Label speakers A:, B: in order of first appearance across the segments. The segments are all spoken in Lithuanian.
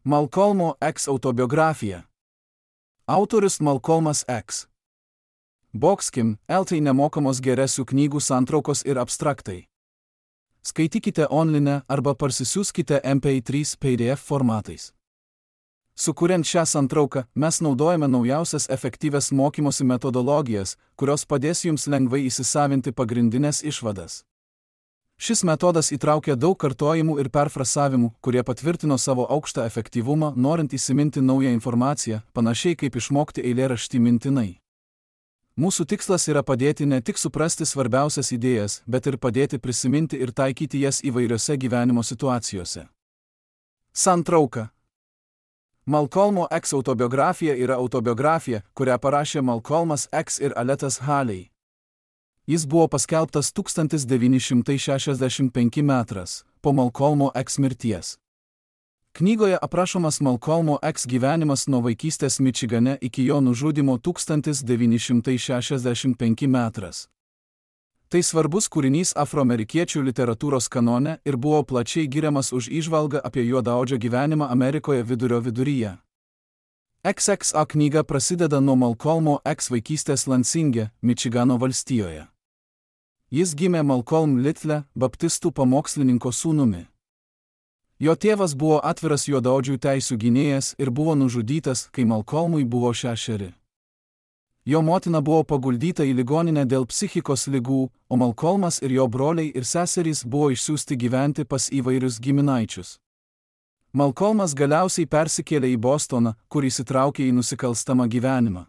A: Malcolmo X autobiografija. Autorius Malcolmas X. Boxkim, LT nemokamos geresių knygų santraukos ir abstraktai. Skaitykite online arba parsisiųskite MP3 PDF formatais. Sukuriant šią santrauką, mes naudojame naujausias efektyvias mokymosi metodologijas, kurios padės jums lengvai įsisavinti pagrindinės išvadas. Šis metodas įtraukia daug kartojimų ir perfrasavimų, kurie patvirtino savo aukštą efektyvumą, norint įsiminti naują informaciją, panašiai kaip išmokti eilėraštį mintinai. Mūsų tikslas yra padėti ne tik suprasti svarbiausias idėjas, bet ir padėti prisiminti ir taikyti jas įvairiose gyvenimo situacijose. Santrauka. Malcolmo X autobiografija yra autobiografija, kurią parašė Malcolmas X ir Aletas Haley. Jis buvo paskelbtas 1965 metras, po Malcolmo X mirties. Knygoje aprašomas Malcolmo X gyvenimas nuo vaikystės Mičigane iki jo nužudymo 1965 metras. Tai svarbus kūrinys afroamerikiečių literatūros kanone ir buvo plačiai giriamas už įžvalgą apie juodaodžio gyvenimą Amerikoje vidurio viduryje. XXA knyga prasideda nuo Malcolmo X vaikystės Lansinge, Mičigano valstijoje. Jis gimė Malcolm Little, baptistų pamokslininko sūnumi. Jo tėvas buvo atviras juodaodžių teisių gynėjas ir buvo nužudytas, kai Malcolmui buvo 6. Jo motina buvo paguldyta į ligoninę dėl psichikos ligų, o Malcolmas ir jo broliai ir seserys buvo išsiųsti gyventi pas įvairius giminaičius. Malcolmas galiausiai persikėlė į Bostoną, kur įsitraukė į nusikalstamą gyvenimą.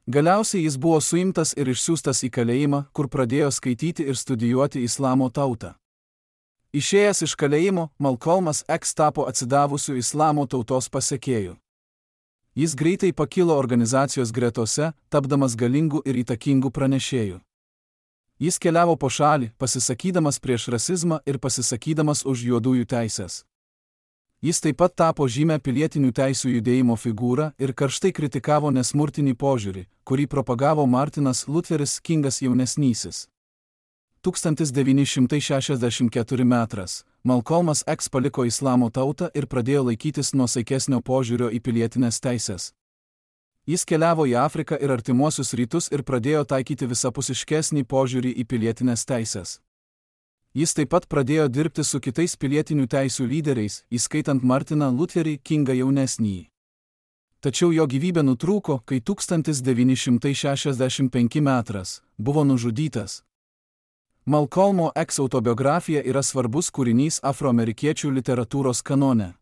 A: Galiausiai jis buvo suimtas ir išsiųstas į kalėjimą, kur pradėjo skaityti ir studijuoti islamo tautą. Išėjęs iš kalėjimo, Malcolmas X tapo atsidavusiu islamo tautos pasekėju. Jis greitai pakilo organizacijos gretose, tapdamas galingu ir įtakingu pranešėju. Jis keliavo po šalį, pasisakydamas prieš rasizmą ir pasisakydamas už juodųjų teises. Jis taip pat tapo žymę pilietinių teisių judėjimo figūrą ir karštai kritikavo nesmurtinį požiūrį, kurį propagavo Martinas Lutheris Kingas jaunesnysis. 1964 metras Malcolmas X paliko islamo tautą ir pradėjo laikytis nuosaikesnio požiūrio į pilietinės teises. Jis keliavo į Afriką ir artimuosius rytus ir pradėjo taikyti visapusiškesnį požiūrį į pilietinės teises. Jis taip pat pradėjo dirbti su kitais pilietinių teisių lyderiais, įskaitant Martiną Lutherį Kingą jaunesnįjį. Tačiau jo gyvybė nutrūko, kai 1965 metras buvo nužudytas. Malcolmo X autobiografija yra svarbus kūrinys afroamerikiečių literatūros kanone.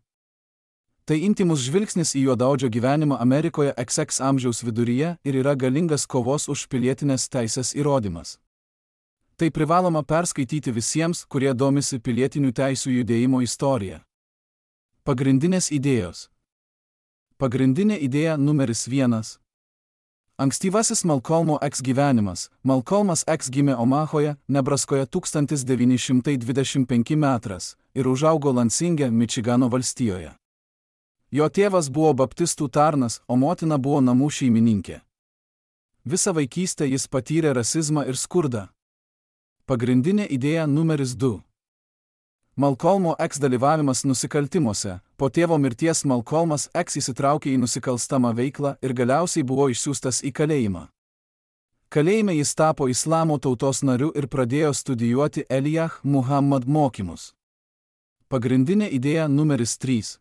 A: Tai intymus žvilgsnis į juodaodžio gyvenimą Amerikoje XX amžiaus viduryje ir yra galingas kovos už pilietinės teisės įrodymas. Tai privaloma perskaityti visiems, kurie domisi pilietinių teisių judėjimo istorija. Pagrindinės idėjos. Pagrindinė idėja numeris 1. Ankstyvasis Malcolmo X gyvenimas. Malcolmas X gimė Omahoje, Nebraskoje 1925 metras ir užaugo Lansinge, Mičigano valstijoje. Jo tėvas buvo baptistų tarnas, o motina buvo namų šeimininkė. Visą vaikystę jis patyrė rasizmą ir skurdą. Pagrindinė idėja numeris 2. Malcolmo X dalyvavimas nusikaltimuose. Po tėvo mirties Malcolmas X įsitraukė į nusikalstamą veiklą ir galiausiai buvo išsiųstas į kalėjimą. Kalėjime jis tapo islamo tautos nariu ir pradėjo studijuoti Elijah Muhammad mokymus. Pagrindinė idėja numeris 3.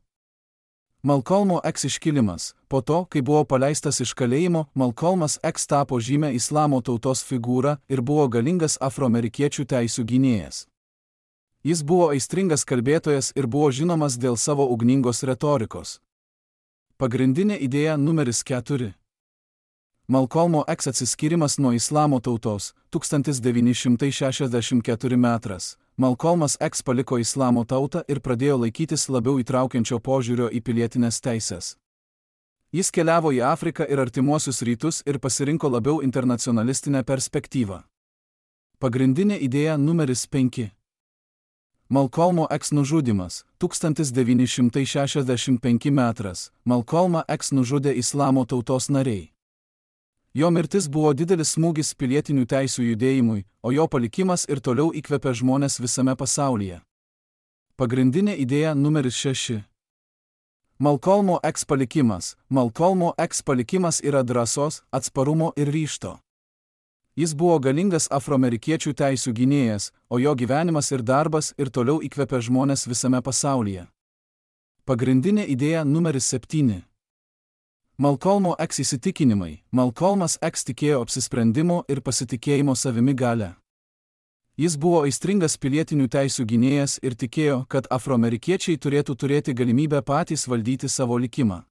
A: Malcolmo X iškilimas. Po to, kai buvo paleistas iš kalėjimo, Malcolmas X tapo žymę islamo tautos figūrą ir buvo galingas afroamerikiečių teisių gynėjas. Jis buvo aistringas kalbėtojas ir buvo žinomas dėl savo ugningos retorikos. Pagrindinė idėja numeris 4. Malcolmo X atsiskyrimas nuo islamo tautos. 1964 metras. Malcolmas X paliko islamo tautą ir pradėjo laikytis labiau įtraukiančio požiūrio į pilietinės teises. Jis keliavo į Afriką ir artimuosius rytus ir pasirinko labiau internacionalistinę perspektyvą. Pagrindinė idėja numeris 5. Malcolmo X nužudymas. 1965 metras. Malcolmą X nužudė islamo tautos nariai. Jo mirtis buvo didelis smūgis pilietinių teisių judėjimui, o jo palikimas ir toliau įkvepia žmones visame pasaulyje. Pagrindinė idėja numeris 6. Malcolmo X palikimas. Malcolmo X palikimas yra drąsos, atsparumo ir ryžto. Jis buvo galingas afroamerikiečių teisių gynėjas, o jo gyvenimas ir darbas ir toliau įkvepia žmones visame pasaulyje. Pagrindinė idėja numeris 7. Malcolmo X įsitikinimai. Malcolmas X tikėjo apsisprendimo ir pasitikėjimo savimi galia. Jis buvo aistringas pilietinių teisių gynėjas ir tikėjo, kad afroamerikiečiai turėtų turėti galimybę patys valdyti savo likimą.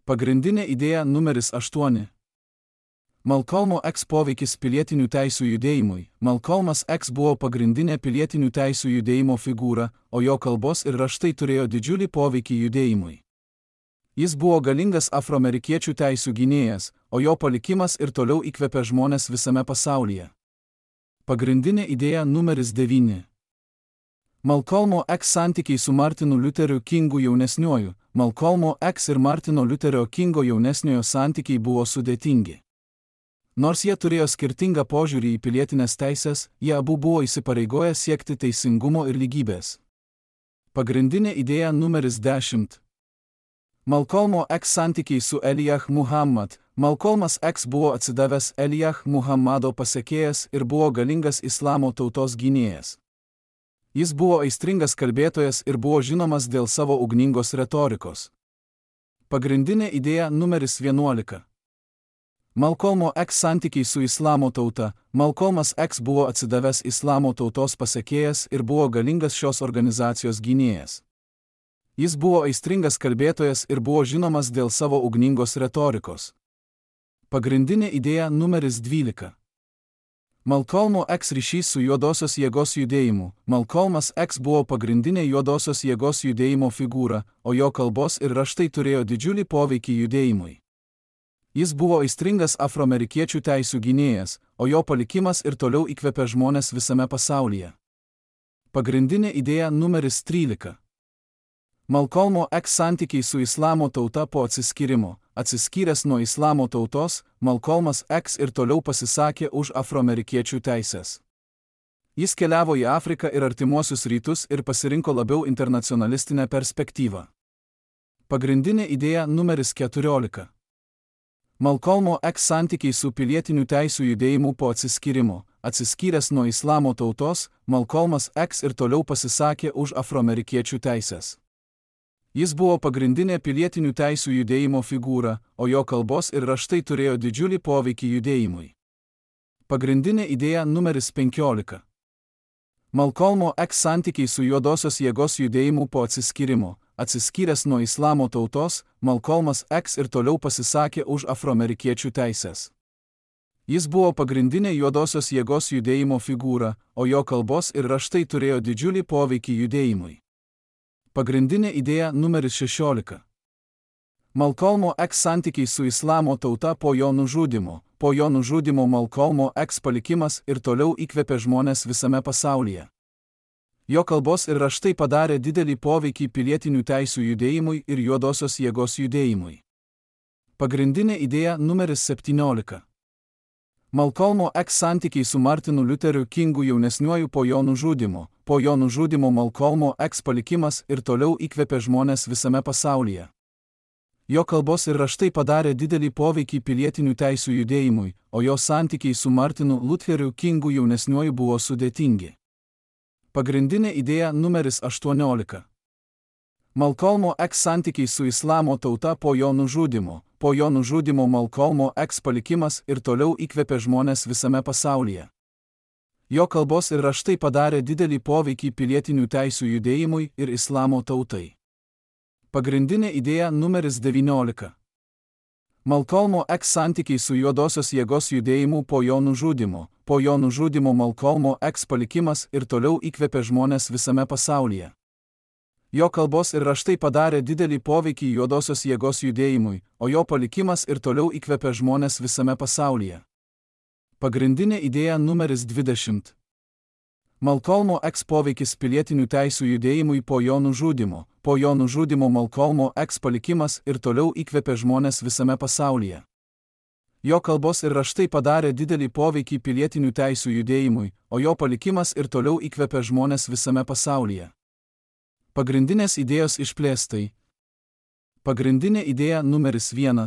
A: Pagrindinė idėja numeris 8. Malcolmo X poveikis pilietinių teisių judėjimui. Malcolmas X buvo pagrindinė pilietinių teisių judėjimo figūra, o jo kalbos ir raštai turėjo didžiulį poveikį judėjimui. Jis buvo galingas afroamerikiečių teisių gynėjas, o jo palikimas ir toliau įkvepia žmones visame pasaulyje. Pagrindinė idėja numeris 9. Malcolmo X santykiai su Martinu Lutheriu Kingu jaunesniuoju. Malcolmo X ir Martino Lutherio Kingo jaunesniojo santykiai buvo sudėtingi. Nors jie turėjo skirtingą požiūrį į pilietinės teisės, jie abu buvo įsipareigoję siekti teisingumo ir lygybės. Pagrindinė idėja numeris 10. Malcolmo X santykiai su Elijah Muhammad. Malcolmas X buvo atsidavęs Elijah Muhammado pasekėjas ir buvo galingas islamo tautos gynėjas. Jis buvo aistringas kalbėtojas ir buvo žinomas dėl savo ugningos retorikos. Pagrindinė idėja numeris 11. Malcolmo X santykiai su islamo tauta. Malcolmas X buvo atsidavęs islamo tautos pasekėjas ir buvo galingas šios organizacijos gynėjas. Jis buvo aistringas kalbėtojas ir buvo žinomas dėl savo ugningos retorikos. Pagrindinė idėja numeris 12. Malcolmo X ryšys su juodosios jėgos judėjimu. Malcolmas X buvo pagrindinė juodosios jėgos judėjimo figūra, o jo kalbos ir raštai turėjo didžiulį poveikį judėjimui. Jis buvo aistringas afroamerikiečių teisių gynėjas, o jo palikimas ir toliau įkvepia žmones visame pasaulyje. Pagrindinė idėja numeris 13. Malcolmo X santykiai su islamo tauta po atsiskyrimo. Atsiskyręs nuo islamo tautos, Malcolmas X ir toliau pasisakė už afroamerikiečių teisės. Jis keliavo į Afriką ir artimuosius rytus ir pasirinko labiau internacionalistinę perspektyvą. Pagrindinė idėja numeris 14. Malcolmo X santykiai su pilietinių teisių judėjimu po atsiskyrimo. Atsiskyręs nuo islamo tautos, Malcolmas X ir toliau pasisakė už afroamerikiečių teisės. Jis buvo pagrindinė pilietinių teisių judėjimo figūra, o jo kalbos ir raštai turėjo didžiulį poveikį judėjimui. Pagrindinė idėja numeris 15. Malcolmo X santykiai su juodosios jėgos judėjimu po atsiskyrimo. Atsiskyręs nuo islamo tautos, Malcolmas X ir toliau pasisakė už afroamerikiečių teisės. Jis buvo pagrindinė juodosios jėgos judėjimo figūra, o jo kalbos ir raštai turėjo didžiulį poveikį judėjimui. Pagrindinė idėja numeris 16. Malcolmo X santykiai su islamo tauta po jo nužudymo. Po jo nužudymo Malcolmo X palikimas ir toliau įkvepia žmones visame pasaulyje. Jo kalbos ir raštai padarė didelį poveikį pilietinių teisių judėjimui ir juodosios jėgos judėjimui. Pagrindinė idėja numeris 17. Malcolmo X santykiai su Martinu Lutheriu Kingu jaunesniuoju po jo nužudymo. Po jo nužudymo Malcolmo X palikimas ir toliau įkvepia žmones visame pasaulyje. Jo kalbos ir raštai padarė didelį poveikį pilietinių teisių judėjimui, o jo santykiai su Martinu Lutheriu Kingu jaunesniuoju buvo sudėtingi. Pagrindinė idėja numeris 18. Malcolmo X santykiai su islamo tauta po jo nužudymo. Po jo nužudymo Malcolmo X palikimas ir toliau įkvepia žmones visame pasaulyje. Jo kalbos ir raštai padarė didelį poveikį pilietinių teisių judėjimui ir islamo tautai. Pagrindinė idėja numeris 19. Malcolmo X santykiai su juodosios jėgos judėjimu po jo nužudymo. Po jo nužudymo Malcolmo X palikimas ir toliau įkvepia žmones visame pasaulyje. Jo kalbos ir raštai padarė didelį poveikį juodosios jėgos judėjimui, o jo palikimas ir toliau įkvepia žmones visame pasaulyje. Pagrindinė idėja numeris 20. Malcolmo X poveikis pilietinių teisių judėjimui po jo nužudymo. Po jo nužudymo Malcolmo X palikimas ir toliau įkvepia žmones visame pasaulyje. Jo kalbos ir raštai padarė didelį poveikį pilietinių teisių judėjimui, o jo palikimas ir toliau įkvepia žmones visame pasaulyje. Pagrindinės idėjos išplėstai. Pagrindinė idėja numeris 1.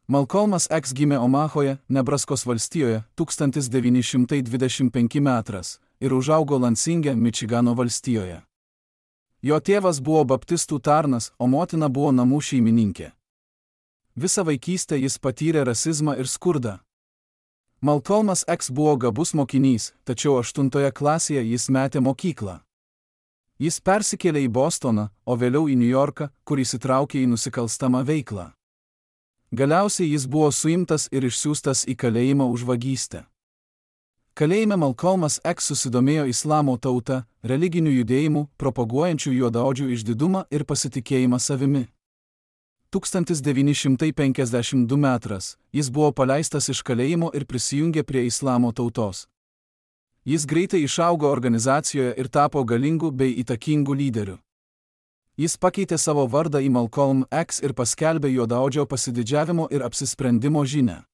A: Malcolmas X gimė Omahoje, Nebraskos valstijoje, 1925 metras ir užaugo Lansinge, Mičigano valstijoje. Jo tėvas buvo baptistų tarnas, o motina buvo namų šeimininkė. Visą vaikystę jis patyrė rasizmą ir skurdą. Malcolmas X buvo gabus mokinys, tačiau 8 klasėje jis metė mokyklą. Jis persikėlė į Bostoną, o vėliau į Niujorką, kur įsitraukė į nusikalstamą veiklą. Galiausiai jis buvo suimtas ir išsiųstas į kalėjimą už vagystę. Kalėjime Malcolmas X susidomėjo islamo tauta, religinių judėjimų, propaguojančių juodaodžių išdidumą ir pasitikėjimą savimi. 1952 metras jis buvo paleistas iš kalėjimo ir prisijungė prie islamo tautos. Jis greitai išaugo organizacijoje ir tapo galingu bei įtakingu lyderiu. Jis pakeitė savo vardą į Malcolm X ir paskelbė juodaodžio pasididžiavimo ir apsisprendimo žinią.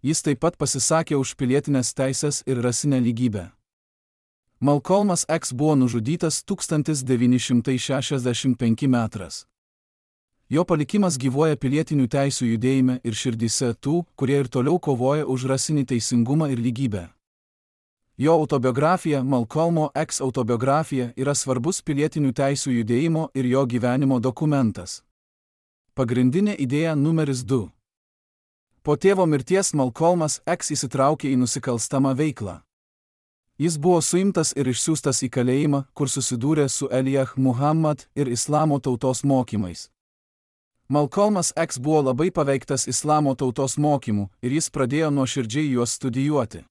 A: Jis taip pat pasisakė už pilietinės teisės ir rasinę lygybę. Malcolmas X buvo nužudytas 1965 metras. Jo palikimas gyvuoja pilietinių teisių judėjime ir širdyse tų, kurie ir toliau kovoja už rasinį teisingumą ir lygybę. Jo autobiografija, Malcolmo X autobiografija, yra svarbus pilietinių teisių judėjimo ir jo gyvenimo dokumentas. Pagrindinė idėja numeris 2. Po tėvo mirties Malcolmas X įsitraukė į nusikalstamą veiklą. Jis buvo suimtas ir išsiųstas į kalėjimą, kur susidūrė su Elijah Muhammad ir islamo tautos mokymais. Malcolmas X buvo labai paveiktas islamo tautos mokymų ir jis pradėjo nuoširdžiai juos studijuoti.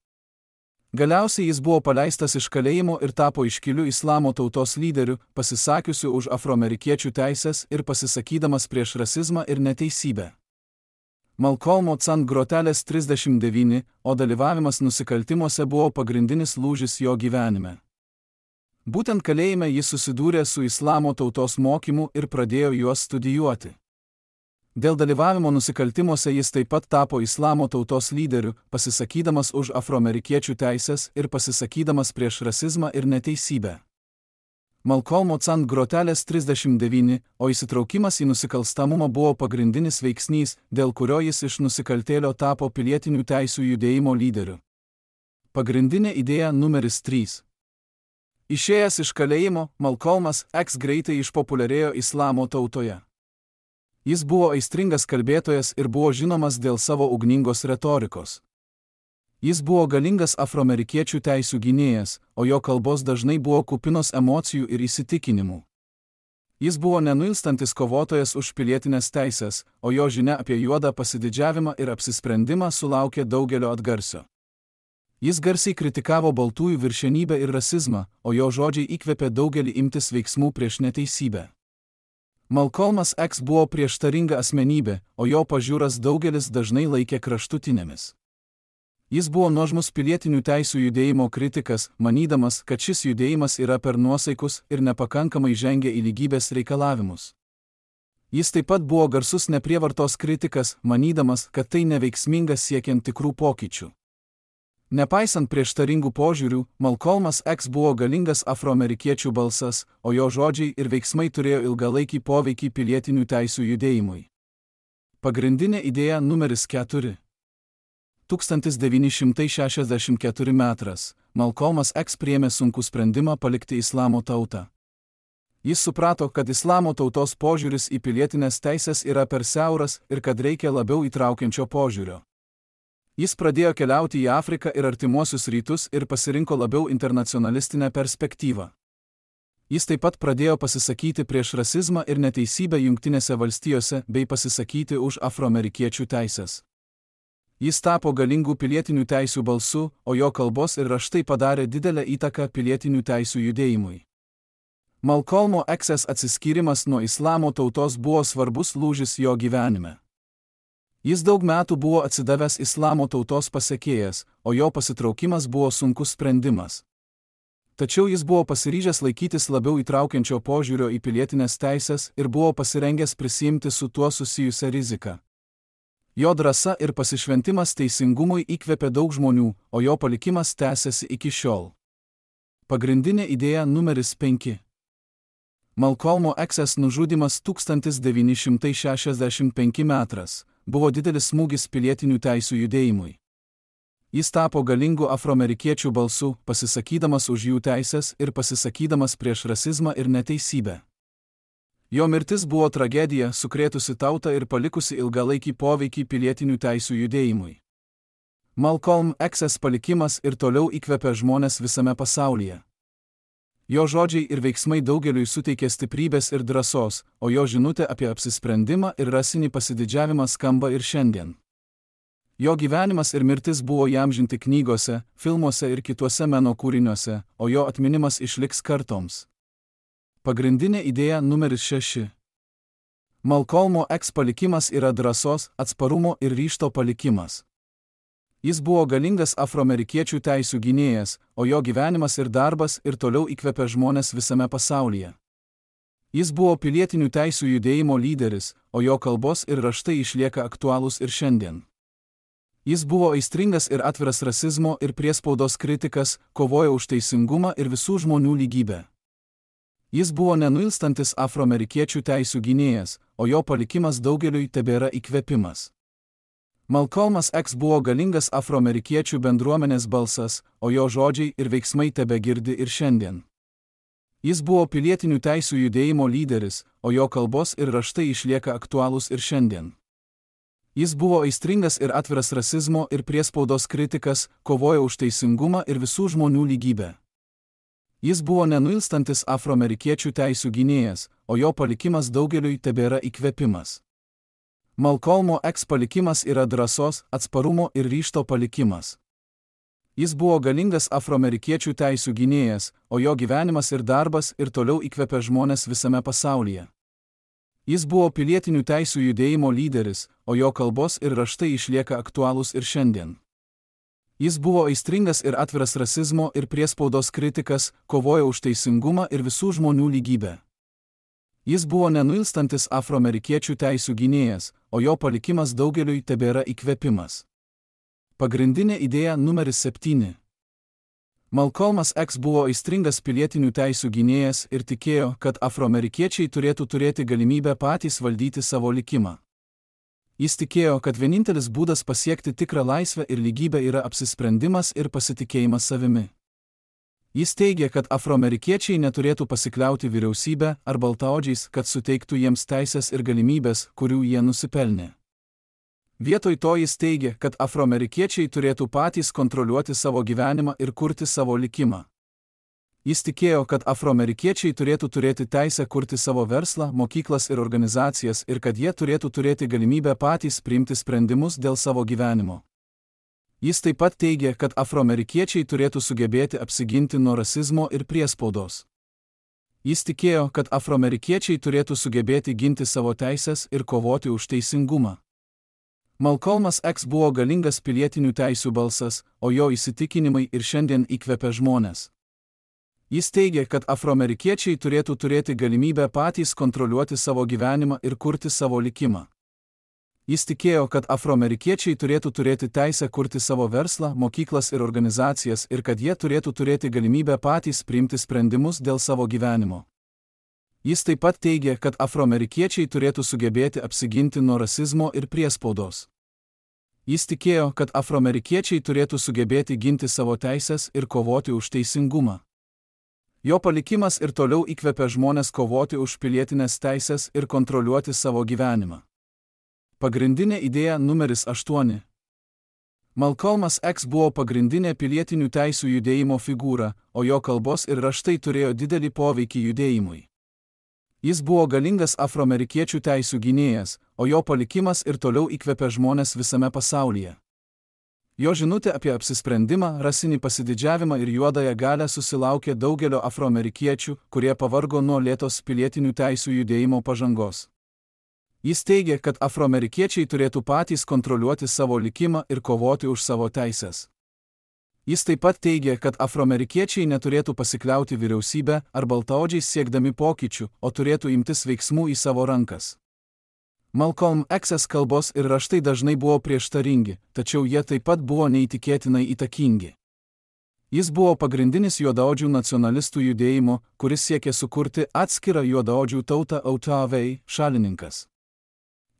A: Galiausiai jis buvo paleistas iš kalėjimo ir tapo iškiliu islamo tautos lyderiu, pasisakiusiu už afroamerikiečių teisės ir pasisakydamas prieš rasizmą ir neteisybę. Malcolmo X grotelės 39, o dalyvavimas nusikaltimuose buvo pagrindinis lūžis jo gyvenime. Būtent kalėjime jis susidūrė su islamo tautos mokymu ir pradėjo juos studijuoti. Dėl dalyvavimo nusikaltimuose jis taip pat tapo islamo tautos lyderiu, pasisakydamas už afroamerikiečių teisės ir pasisakydamas prieš rasizmą ir neteisybę. Malcolmo X grotelės 39, o įsitraukimas į nusikalstamumą buvo pagrindinis veiksnys, dėl kurio jis iš nusikaltėlio tapo pilietinių teisių judėjimo lyderiu. Pagrindinė idėja numeris 3. Išėjęs iš kalėjimo, Malcolmas X greitai išpopuliarėjo islamo tautoje. Jis buvo aistringas kalbėtojas ir buvo žinomas dėl savo ugningos retorikos. Jis buvo galingas afroamerikiečių teisių gynėjas, o jo kalbos dažnai buvo kupinos emocijų ir įsitikinimų. Jis buvo nenuilstantis kovotojas už pilietinės teisės, o jo žinia apie juodą pasididžiavimą ir apsisprendimą sulaukė daugelio atgarsio. Jis garsiai kritikavo baltųjų viršenybę ir rasizmą, o jo žodžiai įkvėpė daugelį imtis veiksmų prieš neteisybę. Malcolmas X buvo prieštaringa asmenybė, o jo pažiūras daugelis dažnai laikė kraštutinėmis. Jis buvo nuožmus pilietinių teisių judėjimo kritikas, manydamas, kad šis judėjimas yra per nuosaikus ir nepakankamai žengia į lygybės reikalavimus. Jis taip pat buvo garsus neprievartos kritikas, manydamas, kad tai neveiksmingas siekiant tikrų pokyčių. Nepaisant prieštaringų požiūrių, Malcolmas X buvo galingas afroamerikiečių balsas, o jo žodžiai ir veiksmai turėjo ilgalaikį poveikį pilietinių teisių judėjimui. Pagrindinė idėja numeris 4. 1964 metras Malcolmas X priėmė sunkų sprendimą palikti islamo tautą. Jis suprato, kad islamo tautos požiūris į pilietinės teisės yra per siauras ir kad reikia labiau įtraukiančio požiūrio. Jis pradėjo keliauti į Afriką ir Artimuosius rytus ir pasirinko labiau internacionalistinę perspektyvą. Jis taip pat pradėjo pasisakyti prieš rasizmą ir neteisybę Jungtinėse valstijose bei pasisakyti už afroamerikiečių teisės. Jis tapo galingų pilietinių teisių balsu, o jo kalbos ir raštai padarė didelę įtaką pilietinių teisių judėjimui. Malcolmo X atsiskyrimas nuo islamo tautos buvo svarbus lūžis jo gyvenime. Jis daug metų buvo atsidavęs islamo tautos pasekėjas, o jo pasitraukimas buvo sunkus sprendimas. Tačiau jis buvo pasiryžęs laikytis labiau įtraukiančio požiūrio į pilietinės teisės ir buvo pasirengęs prisiimti su tuo susijusią riziką. Jo drąsa ir pasišventimas teisingumui įkvėpė daug žmonių, o jo palikimas tęsiasi iki šiol. Pagrindinė idėja numeris 5. Malcolmo X'as nužudymas 1965 metras buvo didelis smūgis pilietinių teisių judėjimui. Jis tapo galingu afroamerikiečių balsu, pasisakydamas už jų teisės ir pasisakydamas prieš rasizmą ir neteisybę. Jo mirtis buvo tragedija, sukrėtusi tautą ir palikusi ilgalaikį poveikį pilietinių teisių judėjimui. Malcolm X'as palikimas ir toliau įkvepia žmones visame pasaulyje. Jo žodžiai ir veiksmai daugeliui suteikė stiprybės ir drąsos, o jo žinutė apie apsisprendimą ir rasinį pasididžiavimą skamba ir šiandien. Jo gyvenimas ir mirtis buvo įamžinti knygose, filmuose ir kituose meno kūriniuose, o jo atminimas išliks kartoms. Pagrindinė idėja numeris 6. Malcolmo X palikimas yra drąsos, atsparumo ir ryžto palikimas. Jis buvo galingas afroamerikiečių teisių gynėjas, o jo gyvenimas ir darbas ir toliau įkvepia žmones visame pasaulyje. Jis buvo pilietinių teisių judėjimo lyderis, o jo kalbos ir raštai išlieka aktualūs ir šiandien. Jis buvo aistringas ir atviras rasizmo ir priespaudos kritikas, kovojo už teisingumą ir visų žmonių lygybę. Jis buvo nenuilstantis afroamerikiečių teisių gynėjas, o jo palikimas daugeliui tebėra įkvėpimas. Malcolmas X buvo galingas afroamerikiečių bendruomenės balsas, o jo žodžiai ir veiksmai tebegirdi ir šiandien. Jis buvo pilietinių teisių judėjimo lyderis, o jo kalbos ir raštai išlieka aktualūs ir šiandien. Jis buvo aistringas ir atviras rasizmo ir priespaudos kritikas, kovojo už teisingumą ir visų žmonių lygybę. Jis buvo nenuilstantis afroamerikiečių teisių gynėjas, o jo palikimas daugeliui tebėra įkvėpimas. Malcolmo X palikimas yra drąsos, atsparumo ir ryžto palikimas. Jis buvo galingas afroamerikiečių teisių gynėjas, o jo gyvenimas ir darbas ir toliau įkvepia žmones visame pasaulyje. Jis buvo pilietinių teisių judėjimo lyderis, o jo kalbos ir raštai išlieka aktualūs ir šiandien. Jis buvo aistringas ir atviras rasizmo ir priespaudos kritikas, kovojo už teisingumą ir visų žmonių lygybę. Jis buvo nenuilstantis afroamerikiečių teisių gynėjas, o jo palikimas daugeliui tebėra įkvėpimas. Pagrindinė idėja numeris 7. Malcolmas X buvo aistringas pilietinių teisių gynėjas ir tikėjo, kad afroamerikiečiai turėtų turėti galimybę patys valdyti savo likimą. Jis tikėjo, kad vienintelis būdas pasiekti tikrą laisvę ir lygybę yra apsisprendimas ir pasitikėjimas savimi. Jis teigė, kad afroamerikiečiai neturėtų pasikliauti vyriausybę ar baltaodžiais, kad suteiktų jiems teisės ir galimybės, kurių jie nusipelnė. Vietoj to jis teigė, kad afroamerikiečiai turėtų patys kontroliuoti savo gyvenimą ir kurti savo likimą. Jis tikėjo, kad afroamerikiečiai turėtų turėti teisę kurti savo verslą, mokyklas ir organizacijas ir kad jie turėtų turėti galimybę patys priimti sprendimus dėl savo gyvenimo. Jis taip pat teigė, kad afroamerikiečiai turėtų sugebėti apsiginti nuo rasizmo ir priespaudos. Jis tikėjo, kad afroamerikiečiai turėtų sugebėti ginti savo teisės ir kovoti už teisingumą. Malcolmas X buvo galingas pilietinių teisių balsas, o jo įsitikinimai ir šiandien įkvepia žmones. Jis teigė, kad afroamerikiečiai turėtų turėti galimybę patys kontroliuoti savo gyvenimą ir kurti savo likimą. Jis tikėjo, kad afroamerikiečiai turėtų turėti teisę kurti savo verslą, mokyklas ir organizacijas ir kad jie turėtų turėti galimybę patys priimti sprendimus dėl savo gyvenimo. Jis taip pat teigė, kad afroamerikiečiai turėtų sugebėti apsiginti nuo rasizmo ir priespaudos. Jis tikėjo, kad afroamerikiečiai turėtų sugebėti ginti savo teisės ir kovoti už teisingumą. Jo palikimas ir toliau įkvepia žmones kovoti už pilietinės teisės ir kontroliuoti savo gyvenimą. Pagrindinė idėja numeris 8. Malcolmas X buvo pagrindinė pilietinių teisių judėjimo figūra, o jo kalbos ir raštai turėjo didelį poveikį judėjimui. Jis buvo galingas afroamerikiečių teisių gynėjas, o jo palikimas ir toliau įkvepia žmones visame pasaulyje. Jo žinutė apie apsisprendimą, rasinį pasididžiavimą ir juodąją galią susilaukė daugelio afroamerikiečių, kurie pavargo nuo lėtos pilietinių teisių judėjimo pažangos. Jis teigė, kad afroamerikiečiai turėtų patys kontroliuoti savo likimą ir kovoti už savo teisės. Jis taip pat teigė, kad afroamerikiečiai neturėtų pasikliauti vyriausybę ar baltaodžiais siekdami pokyčių, o turėtų imtis veiksmų į savo rankas. Malcolm X'as kalbos ir raštai dažnai buvo prieštaringi, tačiau jie taip pat buvo neįtikėtinai įtakingi. Jis buvo pagrindinis juodaodžių nacionalistų judėjimo, kuris siekė sukurti atskirą juodaodžių tautą OTAV šalininkas.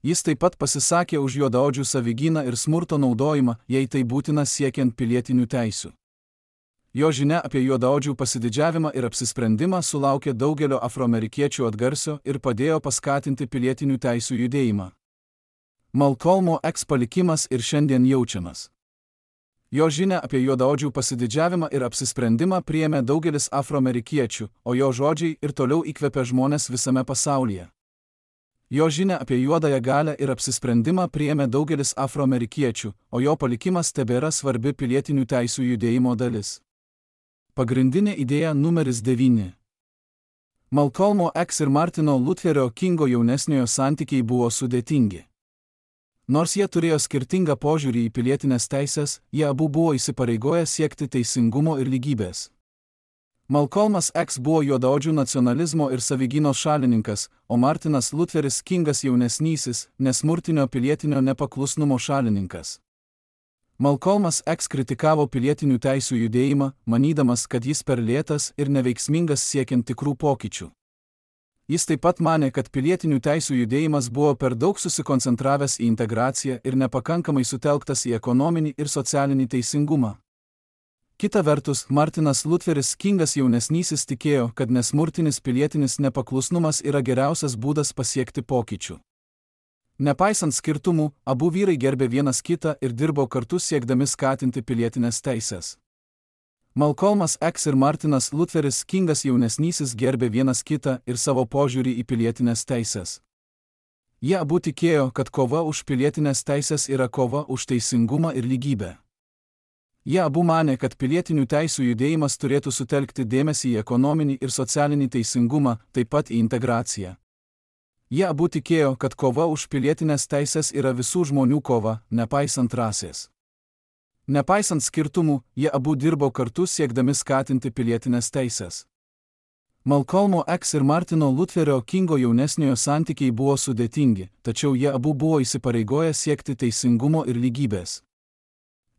A: Jis taip pat pasisakė už juodaodžių savigyną ir smurto naudojimą, jei tai būtina siekiant pilietinių teisių. Jo žinia apie juodaodžių pasididžiavimą ir apsisprendimą sulaukė daugelio afroamerikiečių atgarsio ir padėjo paskatinti pilietinių teisių judėjimą. Malcolmo X palikimas ir šiandien jaučiamas. Jo žinia apie juodaodžių pasididžiavimą ir apsisprendimą priėmė daugelis afroamerikiečių, o jo žodžiai ir toliau įkvepia žmones visame pasaulyje. Jo žinia apie juodąją galią ir apsisprendimą priėmė daugelis afroamerikiečių, o jo palikimas tebėra svarbi pilietinių teisių judėjimo dalis. Pagrindinė idėja numeris 9. Malcolmo X ir Martino Lutherio Kingo jaunesniojo santykiai buvo sudėtingi. Nors jie turėjo skirtingą požiūrį į pilietinės teisės, jie abu buvo įsipareigoję siekti teisingumo ir lygybės. Malcolmas X buvo juodaodžių nacionalizmo ir savigynos šalininkas, o Martinas Lutheris Kingas jaunesnysis, nesmurtinio pilietinio nepaklusnumo šalininkas. Malcolmas X kritikavo pilietinių teisių judėjimą, manydamas, kad jis per lėtas ir neveiksmingas siekiant tikrų pokyčių. Jis taip pat manė, kad pilietinių teisių judėjimas buvo per daug susikoncentravęs į integraciją ir nepakankamai sutelktas į ekonominį ir socialinį teisingumą. Kita vertus, Martinas Lutheris Kingas jaunesnysis tikėjo, kad nesmurtinis pilietinis nepaklusnumas yra geriausias būdas pasiekti pokyčių. Nepaisant skirtumų, abu vyrai gerbė vienas kitą ir dirbo kartu siekdami skatinti pilietinės teisės. Malcolmas X ir Martinas Lutheris Kingas jaunesnysis gerbė vienas kitą ir savo požiūrį į pilietinės teisės. Jie abu tikėjo, kad kova už pilietinės teisės yra kova už teisingumą ir lygybę. Jie abu manė, kad pilietinių teisių judėjimas turėtų sutelkti dėmesį į ekonominį ir socialinį teisingumą, taip pat į integraciją. Jie abu tikėjo, kad kova už pilietinės teisės yra visų žmonių kova, nepaisant rasės. Nepaisant skirtumų, jie abu dirbo kartu siekdami skatinti pilietinės teisės. Malcolmo X ir Martino Lutherio Kingo jaunesniojo santykiai buvo sudėtingi, tačiau jie abu buvo įsipareigoję siekti teisingumo ir lygybės.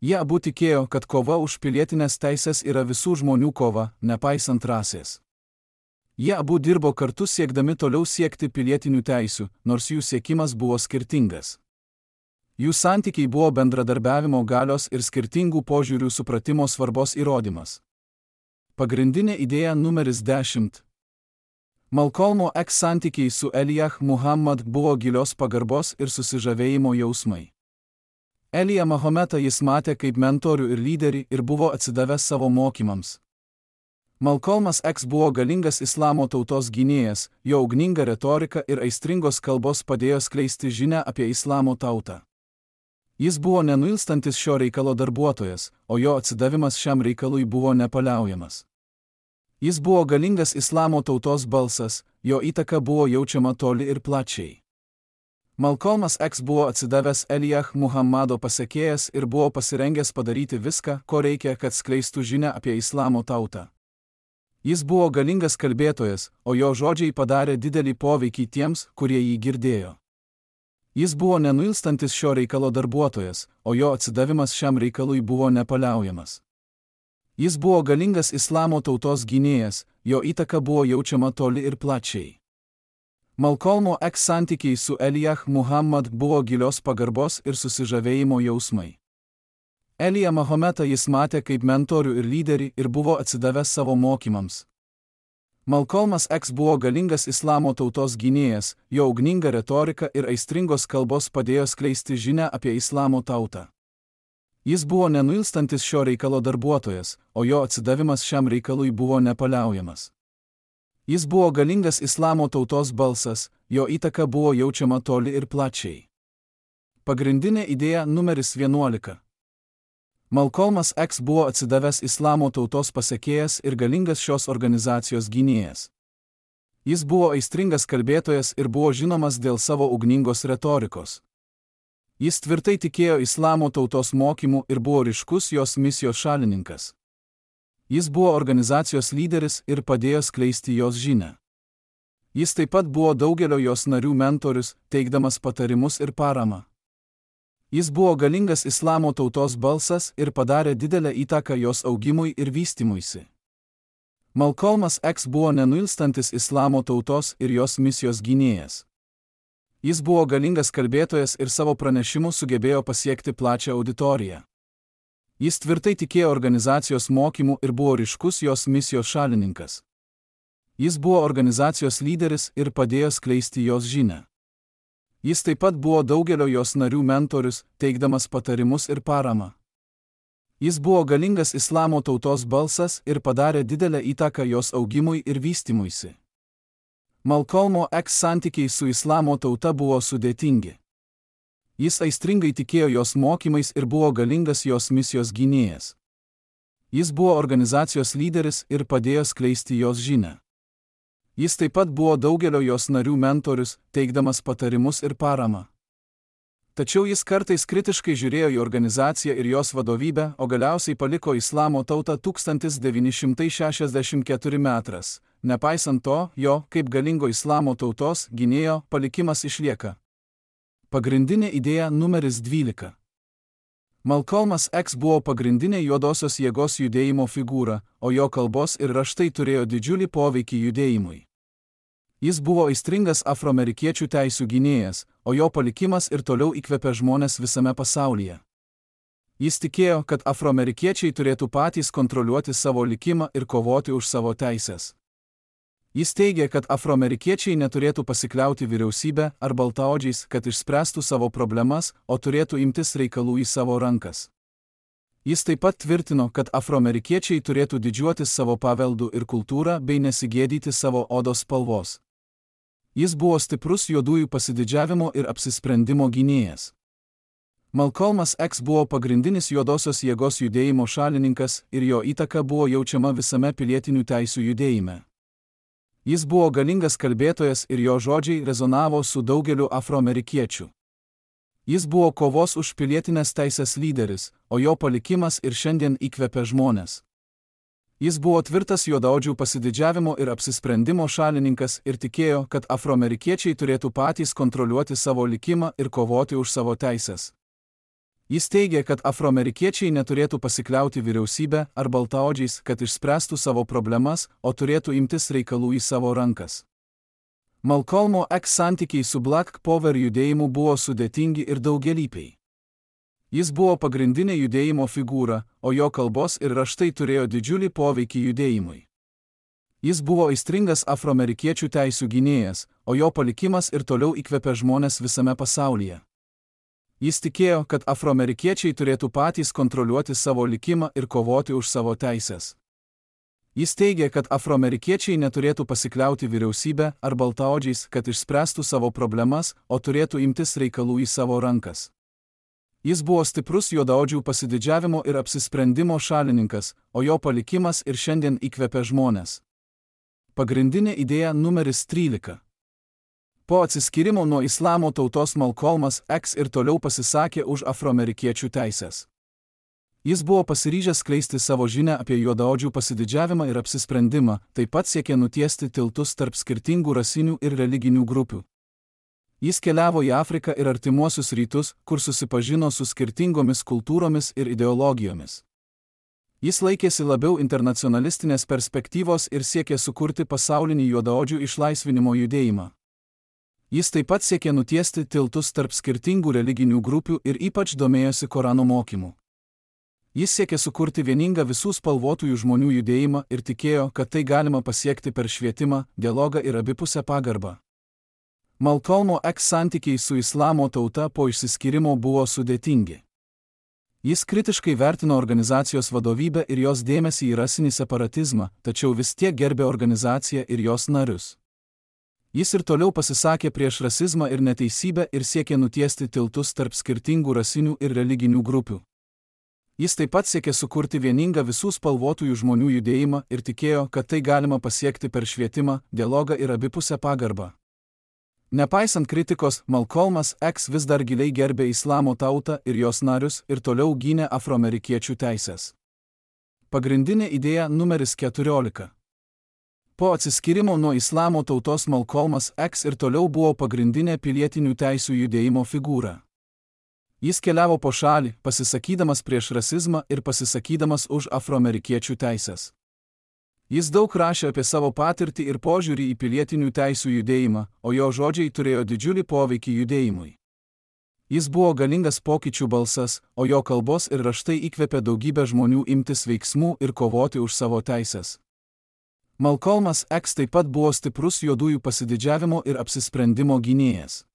A: Jie abu tikėjo, kad kova už pilietinės teisės yra visų žmonių kova, nepaisant rasės. Jie abu dirbo kartu siekdami toliau siekti pilietinių teisių, nors jų siekimas buvo skirtingas. Jų santykiai buvo bendradarbiavimo galios ir skirtingų požiūrių supratimo svarbos įrodymas. Pagrindinė idėja numeris 10. Malcolmo X santykiai su Elijah Muhammad buvo gilios pagarbos ir susižavėjimo jausmai. Elijah Mahometą jis matė kaip mentorių ir lyderį ir buvo atsidavęs savo mokymams. Malcolmas X buvo galingas islamo tautos gynėjas, jo ugninga retorika ir aistringos kalbos padėjo skleisti žinią apie islamo tautą. Jis buvo nenuilstantis šio reikalo darbuotojas, o jo atsidavimas šiam reikalui buvo nepaliaujamas. Jis buvo galingas islamo tautos balsas, jo įtaka buvo jaučiama toli ir plačiai. Malcolmas X buvo atsidavęs Elijah Muhammado pasekėjas ir buvo pasirengęs padaryti viską, ko reikia, kad skleistų žinią apie islamo tautą. Jis buvo galingas kalbėtojas, o jo žodžiai padarė didelį poveikį tiems, kurie jį girdėjo. Jis buvo nenuilstantis šio reikalo darbuotojas, o jo atsidavimas šiam reikalui buvo nepaliaujamas. Jis buvo galingas islamo tautos gynėjas, jo įtaka buvo jaučiama toli ir plačiai. Malcolmo X santykiai su Elijah Muhammad buvo gilios pagarbos ir susižavėjimo jausmai. Elijah Mahometą jis matė kaip mentorių ir lyderį ir buvo atsidavęs savo mokymams. Malcolmas X buvo galingas islamo tautos gynėjas, jo ugninga retorika ir aistringos kalbos padėjo skleisti žinią apie islamo tautą. Jis buvo nenuilstantis šio reikalo darbuotojas, o jo atsidavimas šiam reikalui buvo nepaliaujamas. Jis buvo galingas islamo tautos balsas, jo įtaka buvo jaučiama toli ir plačiai. Pagrindinė idėja numeris 11. Malcolmas X buvo atsidavęs islamo tautos pasekėjas ir galingas šios organizacijos gynėjas. Jis buvo aistringas kalbėtojas ir buvo žinomas dėl savo ugningos retorikos. Jis tvirtai tikėjo islamo tautos mokymu ir buvo ryškus jos misijos šalininkas. Jis buvo organizacijos lyderis ir padėjo skleisti jos žinią. Jis taip pat buvo daugelio jos narių mentorius, teikdamas patarimus ir paramą. Jis buvo galingas islamo tautos balsas ir padarė didelę įtaką jos augimui ir vystymuisi. Malcolmas X buvo nenuilstantis islamo tautos ir jos misijos gynėjas. Jis buvo galingas kalbėtojas ir savo pranešimu sugebėjo pasiekti plačią auditoriją. Jis tvirtai tikėjo organizacijos mokymu ir buvo ryškus jos misijos šalininkas. Jis buvo organizacijos lyderis ir padėjo skleisti jos žinią. Jis taip pat buvo daugelio jos narių mentorius, teikdamas patarimus ir paramą. Jis buvo galingas islamo tautos balsas ir padarė didelę įtaką jos augimui ir vystymuisi. Malcolmo X santykiai su islamo tauta buvo sudėtingi. Jis aistringai tikėjo jos mokymais ir buvo galingas jos misijos gynėjas. Jis buvo organizacijos lyderis ir padėjo skleisti jos žinią. Jis taip pat buvo daugelio jos narių mentorius, teikdamas patarimus ir paramą. Tačiau jis kartais kritiškai žiūrėjo į organizaciją ir jos vadovybę, o galiausiai paliko islamo tautą 1964 metais. Nepaisant to, jo, kaip galingo islamo tautos gynėjo, palikimas išlieka. Pagrindinė idėja numeris 12. Malcolmas X buvo pagrindinė juodosios jėgos judėjimo figūra, o jo kalbos ir raštai turėjo didžiulį poveikį judėjimui. Jis buvo aistringas afroamerikiečių teisių gynėjas, o jo palikimas ir toliau įkvepia žmones visame pasaulyje. Jis tikėjo, kad afroamerikiečiai turėtų patys kontroliuoti savo likimą ir kovoti už savo teises. Jis teigė, kad afroamerikiečiai neturėtų pasikliauti vyriausybę ar baltaodžiais, kad išspręstų savo problemas, o turėtų imtis reikalų į savo rankas. Jis taip pat tvirtino, kad afroamerikiečiai turėtų didžiuotis savo paveldu ir kultūrą bei nesigėdyti savo odos spalvos. Jis buvo stiprus juodųjų pasididžiavimo ir apsisprendimo gynėjas. Malcolmas X buvo pagrindinis juodosios jėgos judėjimo šalininkas ir jo įtaka buvo jaučiama visame pilietinių teisių judėjime. Jis buvo galingas kalbėtojas ir jo žodžiai rezonavo su daugeliu afroamerikiečių. Jis buvo kovos už pilietinės teisės lyderis, o jo palikimas ir šiandien įkvepia žmones. Jis buvo tvirtas juodaodžių pasididžiavimo ir apsisprendimo šalininkas ir tikėjo, kad afroamerikiečiai turėtų patys kontroliuoti savo likimą ir kovoti už savo teises. Jis teigė, kad afroamerikiečiai neturėtų pasikliauti vyriausybę ar baltaodžiais, kad išspręstų savo problemas, o turėtų imtis reikalų į savo rankas. Malcolmo X santykiai su Black Power judėjimu buvo sudėtingi ir daugialypiai. Jis buvo pagrindinė judėjimo figūra, o jo kalbos ir raštai turėjo didžiulį poveikį judėjimui. Jis buvo aistringas afroamerikiečių teisių gynėjas, o jo palikimas ir toliau įkvepia žmones visame pasaulyje. Jis tikėjo, kad afroamerikiečiai turėtų patys kontroliuoti savo likimą ir kovoti už savo teises. Jis teigė, kad afroamerikiečiai neturėtų pasikliauti vyriausybę ar baltaodžiais, kad išspręstų savo problemas, o turėtų imtis reikalų į savo rankas. Jis buvo stiprus juodaodžių pasididžiavimo ir apsisprendimo šalininkas, o jo palikimas ir šiandien įkvepia žmones. Pagrindinė idėja numeris 13. Po atsiskyrimo nuo islamo tautos Malcolmas X ir toliau pasisakė už afroamerikiečių teises. Jis buvo pasiryžęs skleisti savo žinią apie juodaodžių pasididžiavimą ir apsisprendimą, taip pat siekė nutiesti tiltus tarp skirtingų rasinių ir religinių grupių. Jis keliavo į Afriką ir artimuosius rytus, kur susipažino su skirtingomis kultūromis ir ideologijomis. Jis laikėsi labiau internacionalistinės perspektyvos ir siekė sukurti pasaulinį juodaodžių išlaisvinimo judėjimą. Jis taip pat siekė nutiesti tiltus tarp skirtingų religinių grupių ir ypač domėjosi Korano mokymu. Jis siekė sukurti vieningą visų spalvotųjų žmonių judėjimą ir tikėjo, kad tai galima pasiekti per švietimą, dialogą ir abipusę pagarbą. Malcolmo X santykiai su islamo tauta po išsiskyrimo buvo sudėtingi. Jis kritiškai vertino organizacijos vadovybę ir jos dėmesį į rasinį separatizmą, tačiau vis tiek gerbė organizaciją ir jos narius. Jis ir toliau pasisakė prieš rasizmą ir neteisybę ir siekė nutiesti tiltus tarp skirtingų rasinių ir religinių grupių. Jis taip pat siekė sukurti vieningą visų spalvotųjų žmonių judėjimą ir tikėjo, kad tai galima pasiekti per švietimą, dialogą ir abipusę pagarbą. Nepaisant kritikos, Malcolmas X vis dar giliai gerbė islamo tautą ir jos narius ir toliau gynė afroamerikiečių teises. Pagrindinė idėja numeris 14. Po atsiskyrimo nuo islamo tautos Malcolmas X ir toliau buvo pagrindinė pilietinių teisių judėjimo figūra. Jis keliavo po šalį, pasisakydamas prieš rasizmą ir pasisakydamas už afroamerikiečių teises. Jis daug rašė apie savo patirtį ir požiūrį į pilietinių teisių judėjimą, o jo žodžiai turėjo didžiulį poveikį judėjimui. Jis buvo galingas pokyčių balsas, o jo kalbos ir raštai įkvėpė daugybę žmonių imtis veiksmų ir kovoti už savo teises. Malcolmas X taip pat buvo stiprus juodųjų pasididžiavimo ir apsisprendimo gynėjas.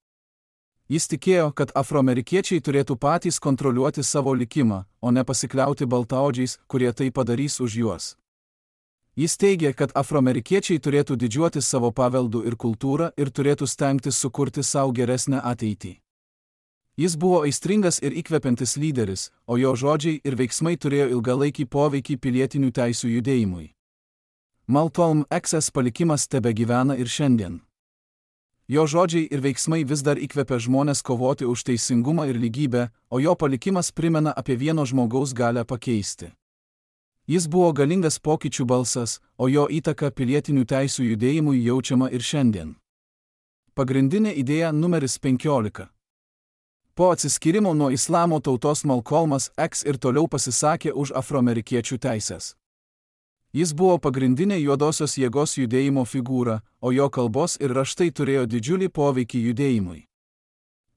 A: Jis tikėjo, kad afroamerikiečiai turėtų patys kontroliuoti savo likimą, o ne pasikliauti baltaodžiais, kurie tai padarys už juos. Jis teigė, kad afroamerikiečiai turėtų didžiuotis savo paveldu ir kultūrą ir turėtų stengtis sukurti savo geresnę ateitį. Jis buvo aistringas ir įkvepiantis lyderis, o jo žodžiai ir veiksmai turėjo ilgalaikį poveikį pilietinių teisių judėjimui. Malcolm X'as palikimas tebegyvena ir šiandien. Jo žodžiai ir veiksmai vis dar įkvepia žmonės kovoti už teisingumą ir lygybę, o jo palikimas primena apie vieno žmogaus galią pakeisti. Jis buvo galingas pokyčių balsas, o jo įtaka pilietinių teisių judėjimui jaučiama ir šiandien. Pagrindinė idėja numeris 15. Po atsiskyrimo nuo islamo tautos Malcolmas X ir toliau pasisakė už afroamerikiečių teises. Jis buvo pagrindinė juodosios jėgos judėjimo figūra, o jo kalbos ir raštai turėjo didžiulį poveikį judėjimui.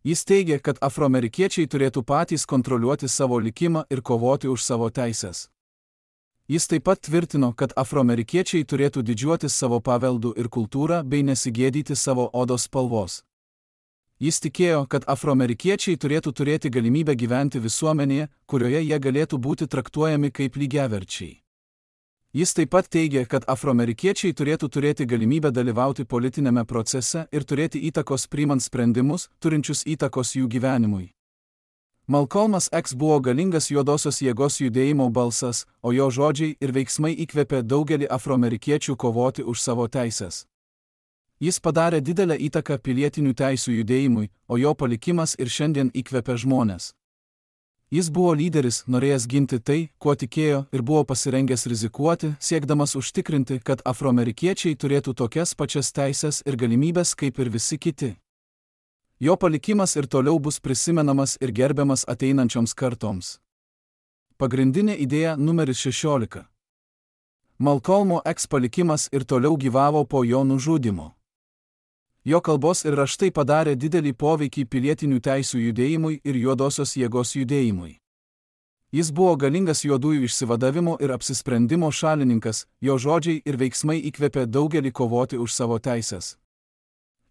A: Jis teigė, kad afroamerikiečiai turėtų patys kontroliuoti savo likimą ir kovoti už savo teises. Jis taip pat tvirtino, kad afroamerikiečiai turėtų didžiuotis savo paveldu ir kultūrą bei nesigėdyti savo odos spalvos. Jis tikėjo, kad afroamerikiečiai turėtų turėti galimybę gyventi visuomenėje, kurioje jie galėtų būti traktuojami kaip lygiaverčiai. Jis taip pat teigė, kad afroamerikiečiai turėtų turėti galimybę dalyvauti politinėme procese ir turėti įtakos priimant sprendimus, turinčius įtakos jų gyvenimui. Malcolmas X buvo galingas juodosios jėgos judėjimo balsas, o jo žodžiai ir veiksmai įkvėpė daugelį afroamerikiečių kovoti už savo teises. Jis padarė didelę įtaką pilietinių teisių judėjimui, o jo palikimas ir šiandien įkvepia žmones. Jis buvo lyderis, norėjęs ginti tai, kuo tikėjo, ir buvo pasirengęs rizikuoti, siekdamas užtikrinti, kad afroamerikiečiai turėtų tokias pačias teises ir galimybės kaip ir visi kiti. Jo palikimas ir toliau bus prisimenamas ir gerbiamas ateinančioms kartoms. Pagrindinė idėja numeris 16. Malcolmo X palikimas ir toliau gyvavo po jo nužudymo. Jo kalbos ir raštai padarė didelį poveikį pilietinių teisių judėjimui ir juodosios jėgos judėjimui. Jis buvo galingas juodųjų išsivadavimo ir apsisprendimo šalininkas, jo žodžiai ir veiksmai įkvėpė daugelį kovoti už savo teises.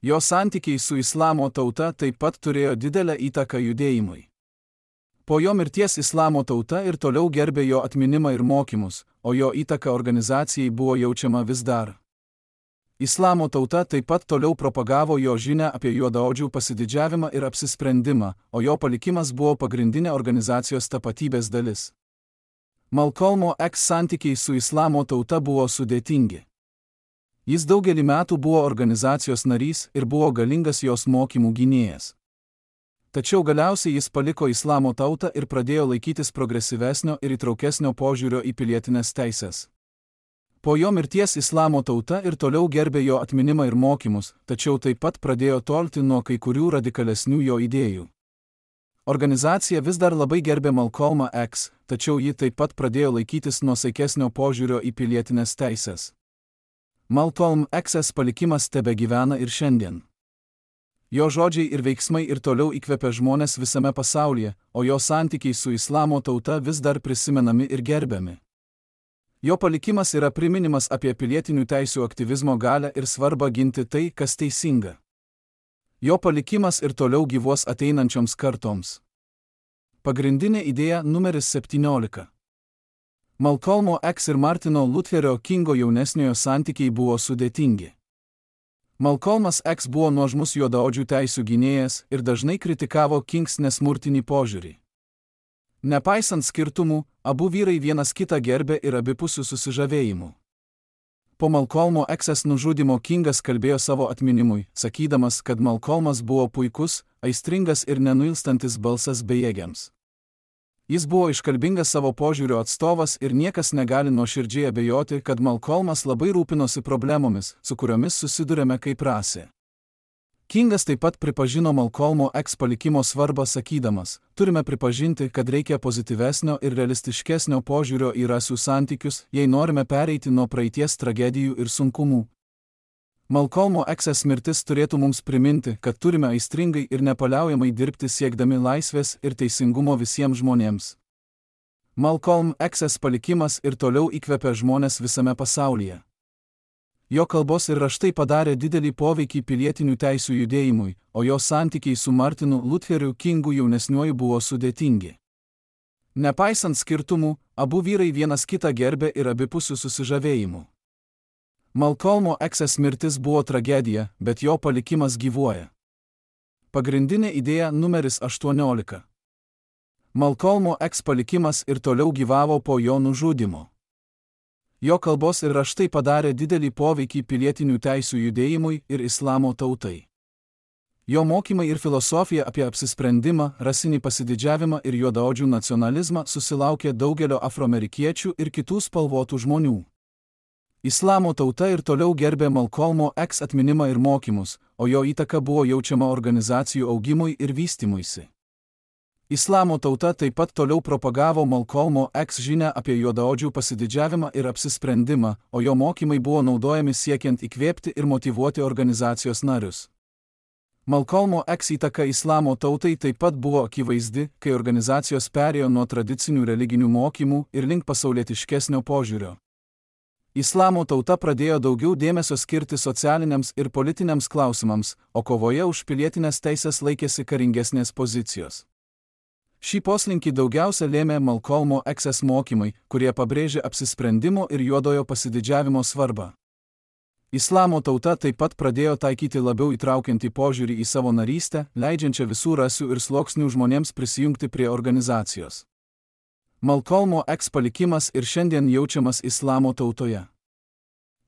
A: Jo santykiai su islamo tauta taip pat turėjo didelę įtaką judėjimui. Po jo mirties islamo tauta ir toliau gerbė jo atminimą ir mokymus, o jo įtaka organizacijai buvo jaučiama vis dar. Islamo tauta taip pat toliau propagavo jo žinią apie juodaodžių pasididžiavimą ir apsisprendimą, o jo palikimas buvo pagrindinė organizacijos tapatybės dalis. Malcolmo X santykiai su islamo tauta buvo sudėtingi. Jis daugelį metų buvo organizacijos narys ir buvo galingas jos mokymų gynėjas. Tačiau galiausiai jis paliko islamo tautą ir pradėjo laikytis progresyvesnio ir įtraukesnio požiūrio į pilietinės teises. Po jo mirties islamo tauta ir toliau gerbė jo atminimą ir mokymus, tačiau taip pat pradėjo tolti nuo kai kurių radikalesnių jo idėjų. Organizacija vis dar labai gerbė Malcolmą X, tačiau ji taip pat pradėjo laikytis nuosaikesnio požiūrio į pilietinės teises. Malcolm X'as palikimas tebegyvena ir šiandien. Jo žodžiai ir veiksmai ir toliau įkvepia žmonės visame pasaulyje, o jo santykiai su islamo tauta vis dar prisimenami ir gerbiami. Jo palikimas yra priminimas apie pilietinių teisių aktyvizmo galią ir svarbą ginti tai, kas teisinga. Jo palikimas ir toliau gyvuos ateinančioms kartoms. Pagrindinė idėja numeris 17. Malcolmo X ir Martino Lutherio Kingo jaunesniojo santykiai buvo sudėtingi. Malcolmas X buvo nuožmus juodaodžių teisių gynėjas ir dažnai kritikavo Kings nesmurtinį požiūrį. Nepaisant skirtumų, abu vyrai vienas kitą gerbė ir abipusių susižavėjimų. Po Malcolmo X'as nužudymo Kingas kalbėjo savo atminimui, sakydamas, kad Malcolmas buvo puikus, aistringas ir nenuilstantis balsas bejėgiams. Jis buvo iškalbingas savo požiūrio atstovas ir niekas negali nuoširdžiai abejoti, kad Malcolmas labai rūpinosi problemomis, su kuriomis susidurėme kaip rasė. Kingas taip pat pripažino Malcolmo X palikimo svarbą sakydamas, turime pripažinti, kad reikia pozityvesnio ir realistiškesnio požiūrio į rasių santykius, jei norime pereiti nuo praeities tragedijų ir sunkumų. Malcolmo X mirtis turėtų mums priminti, kad turime aistringai ir nepaliaujamai dirbti siekdami laisvės ir teisingumo visiems žmonėms. Malcolm X palikimas ir toliau įkvepia žmones visame pasaulyje. Jo kalbos ir raštai padarė didelį poveikį pilietinių teisių judėjimui, o jo santykiai su Martinu Lutheriu Kingu jaunesniuoju buvo sudėtingi. Nepaisant skirtumų, abu vyrai vienas kitą gerbė ir abipusių susižavėjimų. Malcolmo X mirtis buvo tragedija, bet jo palikimas gyvuoja. Pagrindinė idėja numeris 18. Malcolmo X palikimas ir toliau gyvavo po jo nužudymo. Jo kalbos ir raštai padarė didelį poveikį pilietinių teisių judėjimui ir islamo tautai. Jo mokymai ir filosofija apie apsisprendimą, rasinį pasididžiavimą ir juodaodžių nacionalizmą susilaukė daugelio afroamerikiečių ir kitų spalvotų žmonių. Islamo tauta ir toliau gerbė Malcolmo X atminimą ir mokymus, o jo įtaka buvo jaučiama organizacijų augimui ir vystymuisi. Islamo tauta taip pat toliau propagavo Malcolmo X žinią apie juodaodžių pasididžiavimą ir apsisprendimą, o jo mokymai buvo naudojami siekiant įkvėpti ir motyvuoti organizacijos narius. Malcolmo X įtaka islamo tautai taip pat buvo akivaizdi, kai organizacijos perėjo nuo tradicinių religinių mokymų ir link pasaulietiškesnio požiūrio. Islamo tauta pradėjo daugiau dėmesio skirti socialiniams ir politiniams klausimams, o kovoje už pilietinės teisės laikėsi karingesnės pozicijos. Šį poslinkį daugiausia lėmė Malcolmo X mokymai, kurie pabrėžė apsisprendimo ir juodojo pasididžiavimo svarbą. Islamo tauta taip pat pradėjo taikyti labiau įtraukiantį požiūrį į savo narystę, leidžiančią visų rasių ir sluoksnių žmonėms prisijungti prie organizacijos. Malcolmo X palikimas ir šiandien jaučiamas islamo tautoje.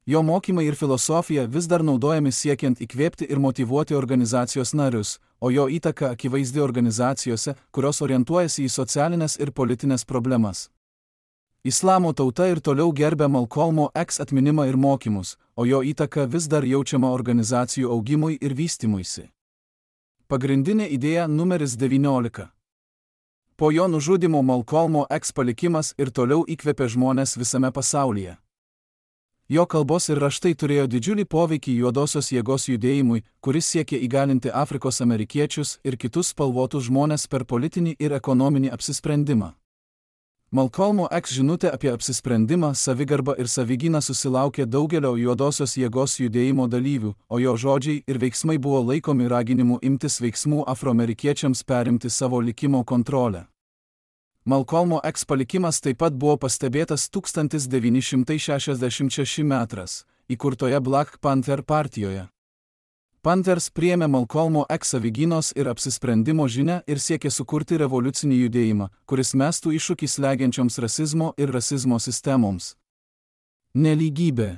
A: Jo mokymai ir filosofija vis dar naudojami siekiant įkvėpti ir motyvuoti organizacijos narius, o jo įtaka akivaizdi organizacijose, kurios orientuojasi į socialinės ir politinės problemas. Islamo tauta ir toliau gerbė Malcolmo X atminimą ir mokymus, o jo įtaka vis dar jaučiama organizacijų augimui ir vystymuisi. Pagrindinė idėja numeris 19. Po jo nužudymo Malcolmo X palikimas ir toliau įkvėpė žmones visame pasaulyje. Jo kalbos ir raštai turėjo didžiulį poveikį juodosios jėgos judėjimui, kuris siekė įgalinti Afrikos amerikiečius ir kitus spalvotus žmones per politinį ir ekonominį apsisprendimą. Malcolmo X žinutė apie apsisprendimą, savigarbą ir savigyną susilaukė daugelio juodosios jėgos judėjimo dalyvių, o jo žodžiai ir veiksmai buvo laikomi raginimu imtis veiksmų afroamerikiečiams perimti savo likimo kontrolę. Malcolmo X palikimas taip pat buvo pastebėtas 1966 metras, įkurtoje Black Panther partijoje. Panthers priėmė Malcolmo X savigynos ir apsisprendimo žinią ir siekė sukurti revoliucinį judėjimą, kuris mestų iššūkį slegiančioms rasizmo ir rasizmo sistemoms. Nelygybė.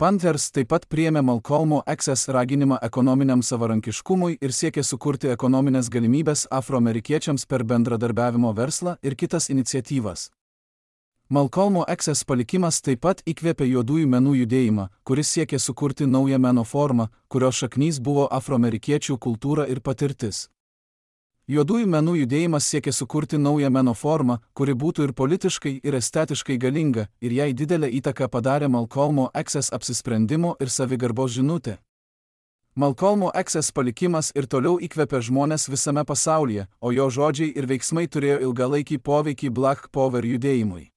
A: Panthers taip pat priėmė Malcolmo X raginimą ekonominiam savarankiškumui ir siekė sukurti ekonominės galimybės afroamerikiečiams per bendradarbiavimo verslą ir kitas iniciatyvas. Malcolmo X palikimas taip pat įkvėpė juodųjų menų judėjimą, kuris siekė sukurti naują meno formą, kurios šaknys buvo afroamerikiečių kultūra ir patirtis. Juodųjų menų judėjimas siekė sukurti naują meno formą, kuri būtų ir politiškai, ir estetiškai galinga, ir jai didelę įtaką padarė Malcolmo X apsisprendimo ir savigarbos žinutė. Malcolmo X palikimas ir toliau įkvėpė žmones visame pasaulyje, o jo žodžiai ir veiksmai turėjo ilgalaikį poveikį Black Power judėjimui.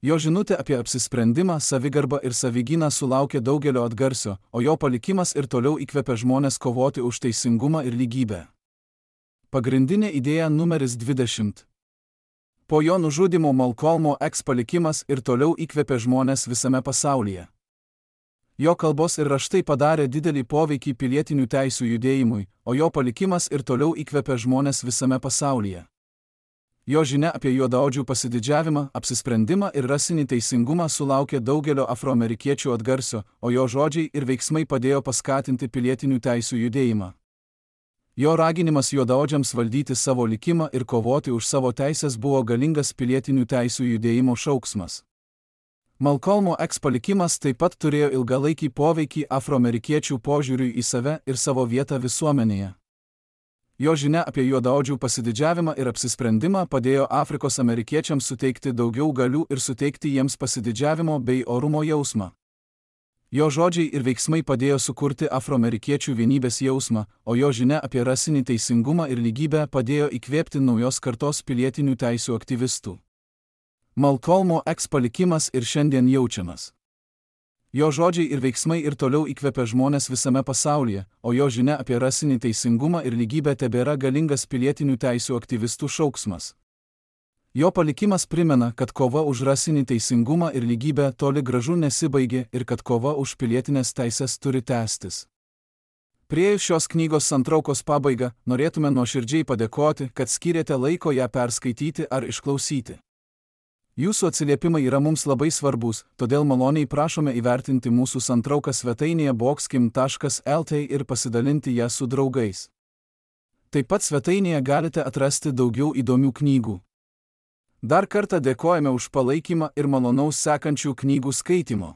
A: Jo žinutė apie apsisprendimą, savigarbą ir savigyną sulaukė daugelio atgarsio, o jo palikimas ir toliau įkvėpė žmones kovoti už teisingumą ir lygybę. Pagrindinė idėja numeris 20. Po jo nužudymo Malcolmo X palikimas ir toliau įkvėpė žmones visame pasaulyje. Jo kalbos ir raštai padarė didelį poveikį pilietinių teisių judėjimui, o jo palikimas ir toliau įkvėpė žmones visame pasaulyje. Jo žinia apie juodaodžių pasididžiavimą, apsisprendimą ir rasinį teisingumą sulaukė daugelio afroamerikiečių atgarsio, o jo žodžiai ir veiksmai padėjo paskatinti pilietinių teisių judėjimą. Jo raginimas juodaodžiams valdyti savo likimą ir kovoti už savo teisės buvo galingas pilietinių teisių judėjimo šauksmas. Malcolmo X palikimas taip pat turėjo ilgalaikį poveikį afroamerikiečių požiūriui į save ir savo vietą visuomenėje. Jo žinia apie juodaodžių pasididžiavimą ir apsisprendimą padėjo Afrikos amerikiečiams suteikti daugiau galių ir suteikti jiems pasididžiavimo bei orumo jausmą. Jo žodžiai ir veiksmai padėjo sukurti afroamerikiečių vienybės jausmą, o jo žinia apie rasinį teisingumą ir lygybę padėjo įkvėpti naujos kartos pilietinių teisių aktyvistų. Malcolmo X palikimas ir šiandien jaučiamas. Jo žodžiai ir veiksmai ir toliau įkvepia žmonės visame pasaulyje, o jo žinia apie rasinį teisingumą ir lygybę tebėra galingas pilietinių teisių aktyvistų šauksmas. Jo palikimas primena, kad kova už rasinį teisingumą ir lygybę toli gražu nesibaigė ir kad kova už pilietinės teisės turi tęstis. Priėjus šios knygos santraukos pabaigą, norėtume nuoširdžiai padėkoti, kad skyrėte laiko ją perskaityti ar išklausyti. Jūsų atsiliepimai yra mums labai svarbus, todėl maloniai prašome įvertinti mūsų santrauką svetainėje boxkim.lt ir pasidalinti ją su draugais. Taip pat svetainėje galite atrasti daugiau įdomių knygų. Dar kartą dėkojame už palaikymą ir malonaus sekančių knygų skaitimo.